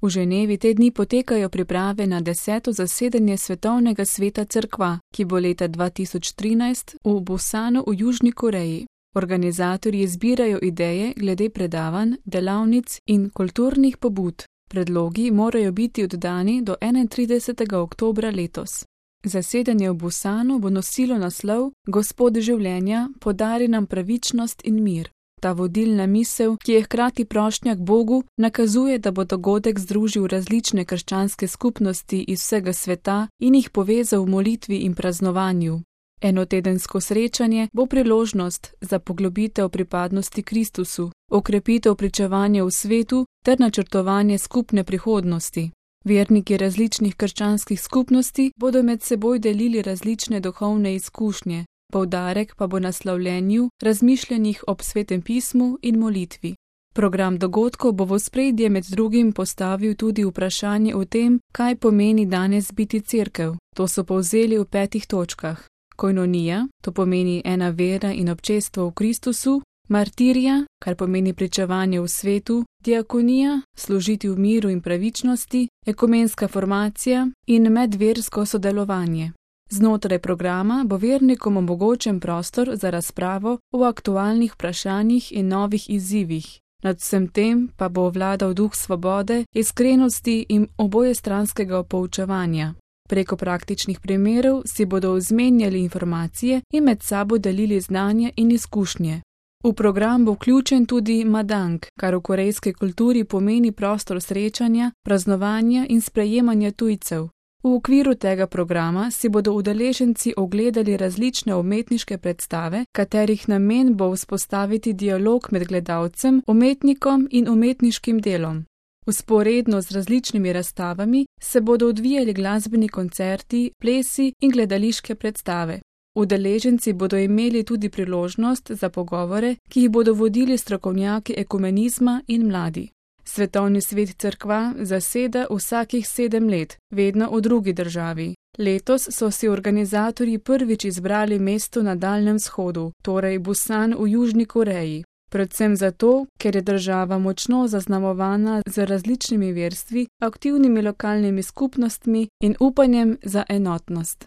V Ženevi te dni potekajo priprave na 10. zasedanje Svetovnega sveta cerkva, ki bo leta 2013 v Busanu v Južni Koreji. Organizatorji zbirajo ideje glede predavanj, delavnic in kulturnih pobud. Predlogi morajo biti oddani do 31. oktobra letos. Zasedanje v Busanu bo nosilo naslov Gospod življenja, podari nam pravičnost in mir. Ta vodilna misel, ki je hkrati prošnja k Bogu, nakazuje, da bo dogodek združil različne krščanske skupnosti iz vsega sveta in jih povezal v molitvi in praznovanju. Enotedensko srečanje bo priložnost za poglobitev pripadnosti Kristusu, okrepitev pričevanja v svetu ter načrtovanje skupne prihodnosti. Verniki različnih krščanskih skupnosti bodo med seboj delili različne duhovne izkušnje, poudarek pa bo na slavljenju, razmišljanjih ob Svetem pismu in molitvi. Program dogodkov bo v ospredje med drugim postavil tudi vprašanje o tem, kaj pomeni danes biti cerkev. To so povzeli v 5 točkah. Koinonija, to pomeni ena vera in občestvo v Kristusu, martirija, kar pomeni pričevanje v svetu, diakonija, služiti v miru in pravičnosti, ekumenska formacija in medversko sodelovanje. Znotraj programa bo vernikom omogočen prostor za razpravo o aktualnih vprašanjih in novih izzivih. Nad vsem tem pa bo vladal duh svobode, iskrenosti in obojestranskega poučevanja. Preko praktičnih primerov si bodo izmenjali informacije in med sabo delili znanje in izkušnje. V program bo vključen tudi madang, kar v korejski kulturi pomeni prostor srečanja, praznovanja in sprejemanja tujcev. V okviru tega programa si bodo udeleženci ogledali različne umetniške predstave, katerih namen bo vzpostaviti dialog med gledalcem, umetnikom in umetniškim delom. Vzporedno z različnimi razstavami se bodo odvijali glasbeni koncerti, plesi in gledališke predstave. Udeleženci bodo imeli tudi priložnost za pogovore, ki jih bodo vodili strokovnjaki ekumenizma in mladi. Svetovni svet cerkva zaseda vsakih 7 let, vedno v drugi državi. Letos so si organizatorji prvič izbrali mesto na Daljnem vzhodu, torej Busan v Južni Koreji. Predvsem zato, ker je država močno zaznamovana z različnimi verstvi, aktivnimi lokalnimi skupnostmi in upanjem za enotnost.